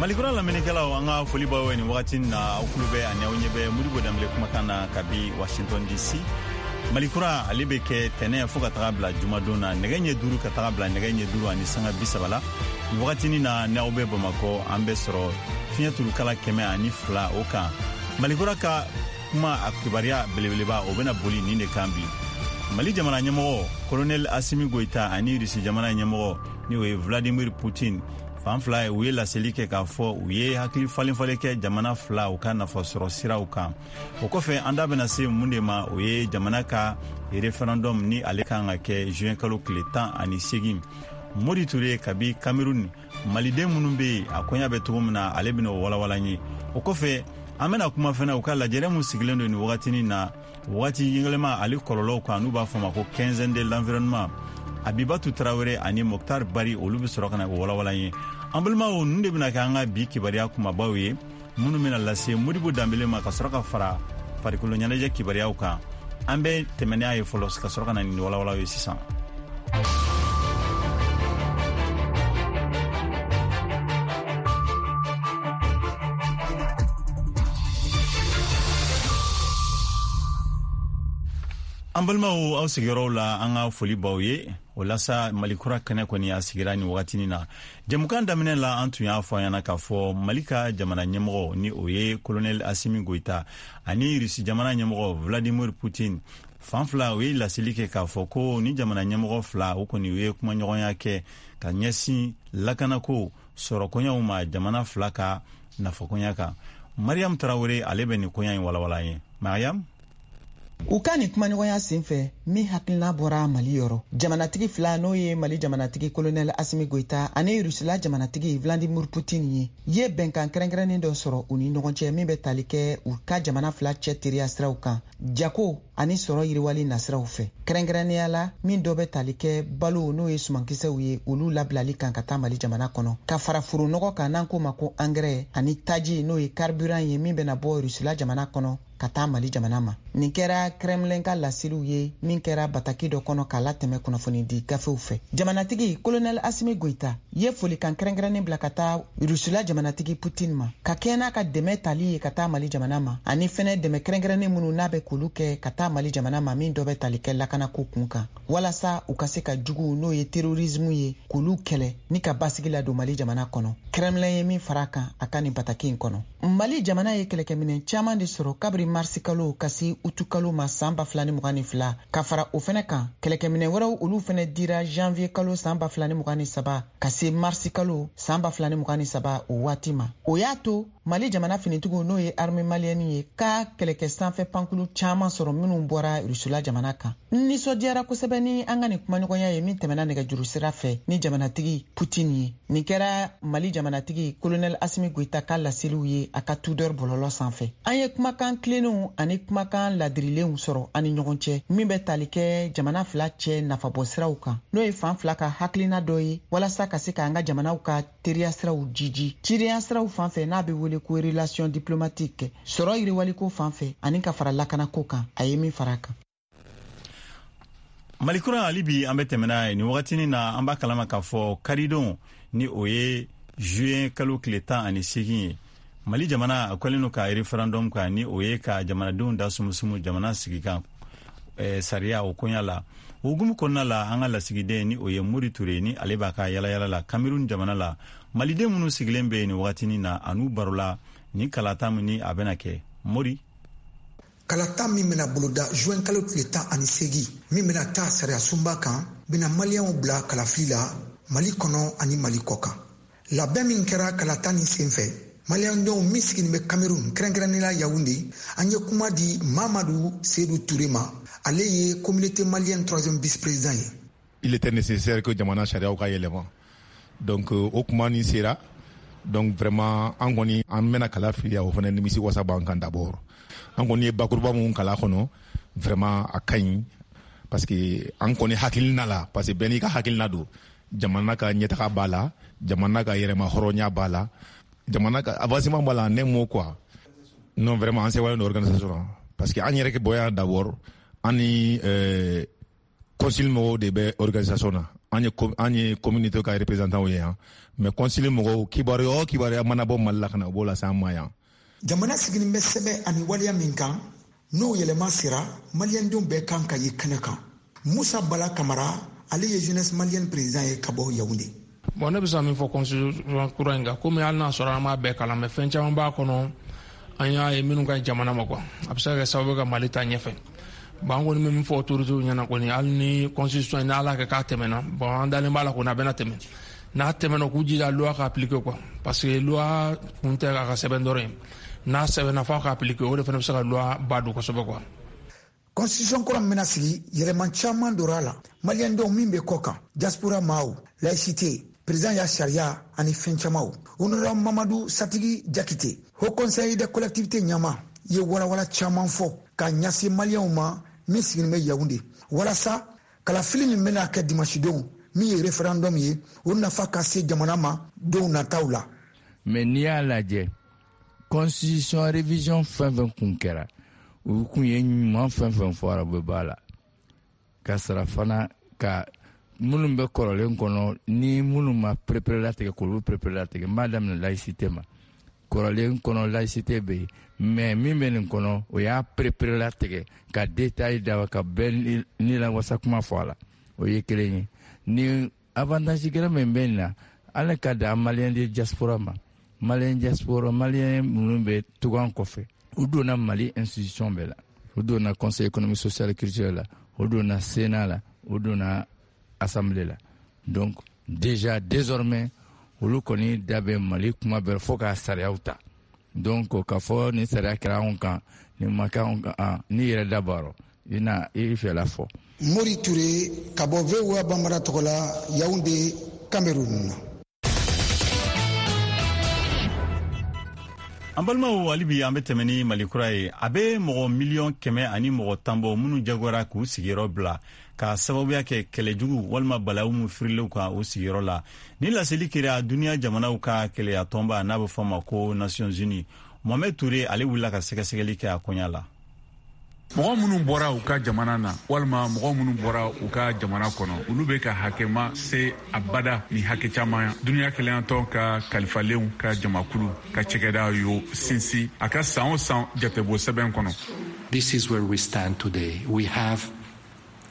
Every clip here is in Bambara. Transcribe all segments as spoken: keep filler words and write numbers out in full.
Malikura lamɛnnikɛlaw, an ka foli b'aw ye nin wagati na. Aw kulo bɛ ani aw ɲɛ bɛ Modibo Danbele kumakan na kabi Washington D C. Malikura, ale bɛ kɛ tɛnɛ fo ka taga bila jumadon na, nɛgɛ ɲɛ duuru ka taga bila nɛgɛ ɲɛ duuru ani sanga bi saba la. Nin wagatinin na, n'aw bɛ Bamakɔ, an bɛ sɔrɔ fiɲɛ turukala kɛmɛ ani fila o kan. Malikura ka kuma, a kibaruya belebeleba, o bɛna boli nin de kan bi: Mali jamana ɲɛmɔgɔ Kolonɛli Asimi Goyita ani Rusi jamana ɲɛmɔgɔ, ni o ye Vladimir Putin, fan fila ye, u ye laseli kɛ k'a fɔ u ye hakili falen-falen kɛ jamana fila u ka nafasɔrɔ siraw kan. O kɔfɛ, an da bɛna se mun de ma? O ye jamana ka référendum ni ale kan ka kɛ juin kalo tile tan ani segin. Mori Ture kabi Cameroun, maliden minnu be yen, a koɲa bɛ cogo min na, ale bɛna o walawala ye. O kɔfɛ, an bɛna kuma fɛnɛ u ka lajɛrɛ mun sigilen don nin wagatinin na, wagati yɛlɛma ale kɔlɔlɔw kan, n'u b'a fɔ ma ko Quinzaine de l'environnement. Abibatu Tarawele ani Moktar Bari, olu bɛ sɔrɔ ka na o walawala ye. An balimaw, ninnu de bɛna kɛ an ka bi kibaruya kumabaw ye minnu bɛna lase Modibo Danbele ma, ka sɔrɔ ka fara farikolo ɲɛnajɛ kibaruyaw kan. An bɛ tɛmɛ n'a ye fɔlɔ, ka sɔrɔ ka na nin walawalaw ye sisan. An balimaw, aw sigiyɔrɔw la, an ka foli b'aw ye. O la sa, Malikura kɛnɛ kɔni a sigira nin wagatinin na. Jɛmukan daminɛ la, an tun y'a fɔ an ɲɛna k'a fɔ Mali ka jamana ɲɛmɔgɔ, ni o ye Kolonɛli Asimi Goyita, ani Rusi jamana ɲɛmɔgɔ Vladimir Putin, fan fila, u ye laseli kɛ k'a fɔ ko ni jamana ɲɛmɔgɔ fila, o kɔni u ye kumaɲɔgɔnya kɛ ka ɲɛsin lakanako sɔrɔkoɲaw ma, jamana fila ka nafakoɲa kan. Mariam Tarawele, ale bɛ nin koɲa in walawala ye. Mariam. U ka nin kumaɲɔgɔnya sen fɛ, min hakilina bɔra Mali yɔrɔ, jamanatigi fila, n'o ye Mali jamanatigi Kolonɛl Asimi Goyita ani Rusila jamanatigi Vladimir Putin ye, ye bɛnkan kɛrɛnkɛrɛnnen dɔ sɔrɔ u ni ɲɔgɔn cɛ, min bɛ tali kɛ u ka jamana fila cɛ teriya siraw kan, jago ani sɔrɔ yiriwali nasiraw fɛ, kɛrɛnkɛrɛnnenya la min dɔ bɛ tali kɛ balo, n'o ye sumankisɛw ye, olu labilali kan ka taa Mali jamana kɔnɔ, ka fara foronɔgɔ kan, n'an k'o ma ko angɛrɛ, ani taji, n'o ye carburant ye, min bɛna bɔ Rusila jamana kɔnɔ ka taa Mali jamana ma. Nin kɛra Kremlin ka laseliw ye min kɛra bataki dɔ kɔnɔ k'a latɛmɛ kunnafonidi gafew fɛ. Jamanatigi Kolonɛl Asimi Goyita ye folikan kɛrɛnkɛrɛnnen bila ka taa Rusila jamanatigi Putin ma, ka kɛɲɛ n'a ka dɛmɛ tali ye ka taa Mali jamana ma, ani fɛnɛ dɛmɛ kɛrɛnkɛrɛnnen minnu n'a bɛ k'olu kɛ ka taa Mali jamana ma, min dɔ bɛ tali kɛ lakanako kun kan, walasa u ka se ka juguw, n'o ye terrorisme ye, k'olu kɛlɛ ni ka basigi ladon Mali jamana kɔnɔ. Kremlin ye min fara a kan a ka nin bataki in kɔnɔ, Mali jamana ye kɛlɛkɛminɛn caaman de sɔrɔ kabiri marisi kalo ka se utu kalo ma san ba fila ni mugan ni fila. Ka fara o fɛnɛ kan, kɛlɛkɛminɛn wɛrɛw, olu fɛnɛ dira janvier kalo san ba fila ni mugan ni saba ka se marisi kalo san ba fila ni mugan ni saba o waati ma. O y'a to Mali jamana finitigiw, n'o ye armée malienne ye, ka kɛlɛkɛ sanfɛ pankulu caaman sɔrɔ minnu bɔra Rusula jamana kan. N nisɔndiyara kosɛbɛ ni an ka nin kumaɲɔgɔnya ye min tɛmɛna nɛgɛjuru sira fɛ ni jamanatigi Putin ye. Nin kɛra Mali jamanatigi Kolonɛl Asimi Goyita ka laseliw ye a ka Twitter bɔlɔlɔ sanfɛ. An ye kumakan tilennenw ani kumakan ladirilenw sɔrɔ an ni ɲɔgɔn cɛ, min bɛ tali kɛ jamana fila cɛ nafabɔ siraw kan, n'o ye fan fila ka hakilina dɔ ye, walasa ka se k'an ka jamanaw ka teriya siraw jiji, cidenya siraw fan fɛ, n'a bɛ wele ko relation diplomatique, sɔrɔ yiriwaliko fan fɛ, ani ka fara lakanako kan, a ye min fara a kan. Malikura, hali bi an bɛ tɛmɛ n'a ye nin wagatinin na. An b'a kalama k'a fɔ karidon, ni o ye juin kalo tile tan ani segin ye, Mali jamana a kɛlen don ka référendum kan, ni o ye ka jamanadenw da sumusumu jamana sigi kan eh, sariya o koɲa la. O hukumu kɔnɔna la, an ka lasigiden, ni o ye Mori Ture, ni ale b'a ka yalayala la Cameroun jamana la, maliden minnu sigilen bɛ yen nin wagatinin na, a n'u barola ni kalata min ni a bɛna kɛ. Mori. Kalata min bena boloda juin kalo tile tan ani segi, min bena taa sariya sunba kan, bena Maliyɛnw bila kalafili la Mali kɔnɔ ani Mali kɔ kan. Labɛn min kɛra kalata nin sen fɛ, Maliyɛndenw min siginin bɛ Cameroun, kɛrɛnkɛrɛnnenya Yawunde, an ye kuma di Mamadu Sedu Ture ma. Ale ye Communauté malienne troisième vice président ye. Il était nécessaire que jamana sariyaw ka yɛlɛma. Donc o kuma nin sera, donc vraiment an kɔni an bɛna kala fili, o fana nimisi wasa b'an kan. D'abord, an kɔni ye bakuruba mun kala kɔnɔ, vraiment a ka ɲi, parce que an kɔni hakilina la, parce que bɛɛ n'i ka hakilina don, jamana ka ɲɛtaga b'a la, jamana ka yɛrɛma hɔrɔnya b'a la, jamana ka avancement b'a la, en un mot quoi. Non, vraiment an sewalen don organisation na, parce que an yɛrɛ kɛ bɔ yan d'abord, an ni euh, consul mɔgɔw de bɛ organisation na. An ye an ye communauté ka représentant ye yan, mais concile mɔgɔw, kibaruya o kibaruya mana bɔ Mali la ka na, u b'o lase an ma yan. Jamana sigilen bɛ sɛbɛn ani waleya min kan, n'o yɛlɛma sera, maliyɛndenw bɛɛ kan ka ye kɛnɛ kan. Musa Bala Kamara, ale ye Jeunesse malienne président ye ka bɔ Yaoundé. Bon, ne bɛ se ka min fɔ constitution kura in kan, komi hali n'a sɔrɔ an m'a bɛɛ kalan, mais fɛn caman b'a kɔnɔ an y'a ye minnu ka ɲi jamana ma quoi. A bɛ se ka kɛ sababu ye ka Mali ta ɲɛfɛ. Bon, an kɔni bɛ min fɔ autorités ɲɛna kɔni, hali ni constitution in n'Ala kɛ k'a tɛmɛna, bon, an dalen b'a la kɔni a bɛna tɛmɛ. N'a tɛmɛna, k'u jija loi ka appliquer quoi, parce que loi kun tɛ a ka sɛbɛn dɔrɔn ye. N'a sɛbɛnna, f'a ka appliquer, o de fana bɛ se ka loi ba don kosɛbɛ quoi. Constitution kura min bɛna sigi, yɛlɛma caman donna a la. Maliyɛndenw min bɛ kɔ kan, diaspora maaw, laïcité, président ya sariya ani fɛn camanw. Honorable Mamadu Satigi Jakite, Haut Conseil des collectivités ɲɛmaa, ye walawala caman fɔ ka ɲɛsin maliyɛnw ma min sigilen bɛ Yaoundé, walasa kalafili min bɛna kɛ dimanche don, min ye référendum ye, o nafa ka se jamana ma don nataw la. Mais n'i y'a lajɛ, constitution révision fɛn fɛn kun kɛra, u kun ye ɲuman fɛn fɛn fɔra, u bɛ b'a la ka sara fana ka minnu bɛ kɔrɔlen kɔnɔ ni minnu ma perepere latigɛ, k'olu perepere latigɛ. N b'a daminɛ laïcité ma. Kɔrɔlen kɔnɔ, laïcité bɛ yen, mais min bɛ nin kɔnɔ, o y'a perepere latigɛ ka détail da ka bɛɛ ni lawasa kuma fɔ a la. O ye kelen ye. Ni avantage gɛrɛ min bɛ nin na, ala ka dan maliyɛn de diaspora ma. Maliyɛn diaspora, maliyɛn minnu bɛ tugan kɔfɛ, u donna Mali institution bɛɛ la. U donna Conseil économique, social et culturel la, u donna Sénat la, u donna Assemblée la. Donc déjà, désormais, olu kɔni da bɛ Mali kuma bɛɛ fo k'a sariyaw ta. Donc k'a fɔ ni sariya kɛra anw kan, nin ma kɛ anw kan, n'i yɛrɛ da b'a rɔ, i na i fɛla fɔ. Mori Ture ka bɔ V O A Bambara tɔgɔ la, Yaoundé, Cameroun. An balimaw, hali bi an bɛ tɛmɛ ni Mali kura ye. A bɛ mɔgɔ miliyɔn kɛmɛ ani mɔgɔ tan bɔ minnu jagoyara k'u sigiyɔrɔ bila ka sababuya kɛ kɛlɛjugu walima balawu min firilenw kan u sigiyɔrɔ la. Ni laseli kɛra duniya jamanaw ka keleya tɔnba, n'a bɛ fɔ a ma ko Nations Unies. Mohamed Toure, ale wulila ka sɛgɛsɛgɛli kɛ a koɲa la. Mɔgɔ minnu bɔra u ka jamana na walima mɔgɔ minnu bɔra u ka jamana kɔnɔ, olu bɛ ka hakɛma se abada ni hakɛ caman. Duniya kelenyatɔn ka kalifalenw ka jamakulu ka cɛkɛda y'o sinsin a ka san o san jatebɔ sɛbɛn kɔnɔ. This is where we stand today. We have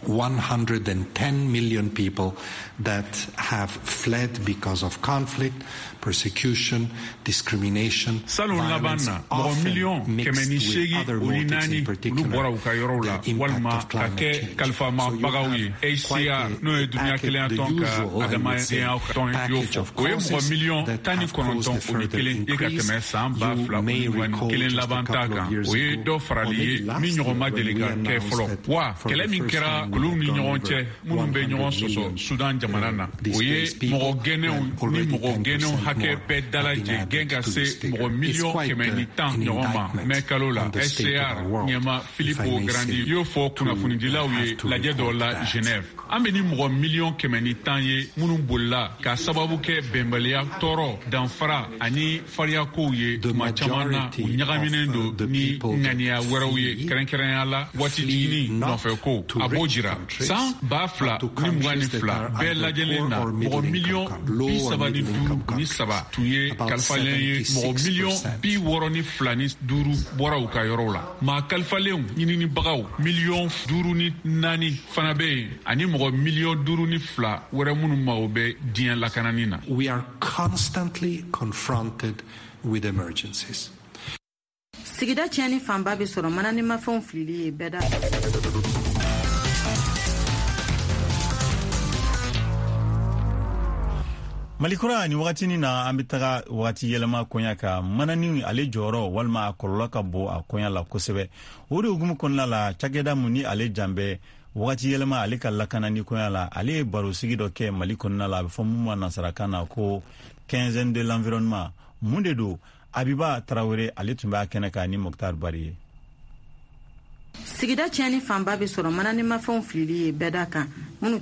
one hundred ten million people that have fled because of conflict, persecution, discrimination. Salon laban na, mɔgɔ miliyɔn kɛmɛ ni seegin o ni naani, olu bɔra u ka yɔrɔw la walima ka kɛ kalifamabagaw ye. H C R, n'o ye duniya kelenyatɔn ka adamadenya tɔn, y'o fɔ. O ye mɔgɔ miliyɔn tan ni kɔnɔntɔn o ni kelen ye ka tɛmɛ san ba fila o ni mugan ni kelen laban ta kan. O ye dɔ farali ye min ɲɔgɔn ma deli ka kɛ fɔlɔ wa. Kɛlɛ min kɛra kuluw ni ɲɔgɔn cɛ minnu bɛ ɲɔgɔn sɔsɔ Sudan jamana na, o ye mɔgɔ gɛnnenw ni mɔgɔ gɛnnenw hakɛ bɛɛ dalajɛ gɛn ka se mɔgɔ miliyɔn kɛmɛ ni tan ɲɔgɔn ma mɛ kalo la. H C R ɲɛma Filippo Grandi y'o fɔ kunnafonidilaw ye lajɛ dɔ la Genève. An bɛ ni mɔgɔ miliyɔn kɛmɛ ni tan ye minnu bolila ka sababu kɛ bɛnbaliya, tɔɔrɔ, danfara ani fariyakow ye. Tuma caman na, u ɲagaminen don ni ŋaniya wɛrɛw ye, kɛrɛnkɛrɛnya la waati jiginni nɔfɛ ko. A b'o jira, san ba fila ni mugan ni fila bɛɛ lajɛlen na, mɔgɔ miliyɔn bi saba ni duuru ni saba tun ye kalifalen ye. Mɔgɔ miliyɔn bi wɔɔrɔ ni fila ni duuru bɔra u ka yɔrɔw la. Maa kalifalenw ɲininibagaw miliyɔn duuru ni naani fana bɛ yen, ani mɔgɔ miliyɔn duuru ni fila wɛrɛ minnu mago bɛ diɲɛ lakanani na. We are constantly confronted with emergencies. Sigida tiɲɛni fanba bɛ sɔrɔ mananimafɛnw filili ye bɛɛ da. Malikura, ni wagatinin na, an bɛ taga wagati yɛlɛma koɲa kan. Manani, ale jɔyɔrɔ walima a kɔlɔlɔ ka bon a koɲa la kosɛbɛ. O de hukumu kɔnɔna la, cakɛda mun ni ale jan bɛ wagati yɛlɛma ale ka lakanani koɲa la, ale ye barosigi dɔ kɛ Mali kɔnɔna la, a bɛ fɔ mun ma nansarakan na ko Quinzaine de l'environnement. Mun de don? Abiba Tarawele, ale tun b'a kɛnɛ kan ni Mɔkitar Bari ye. Sigida tiɲɛni fanba bɛ sɔrɔ mananimafɛnw filili ye bɛɛda kan minnu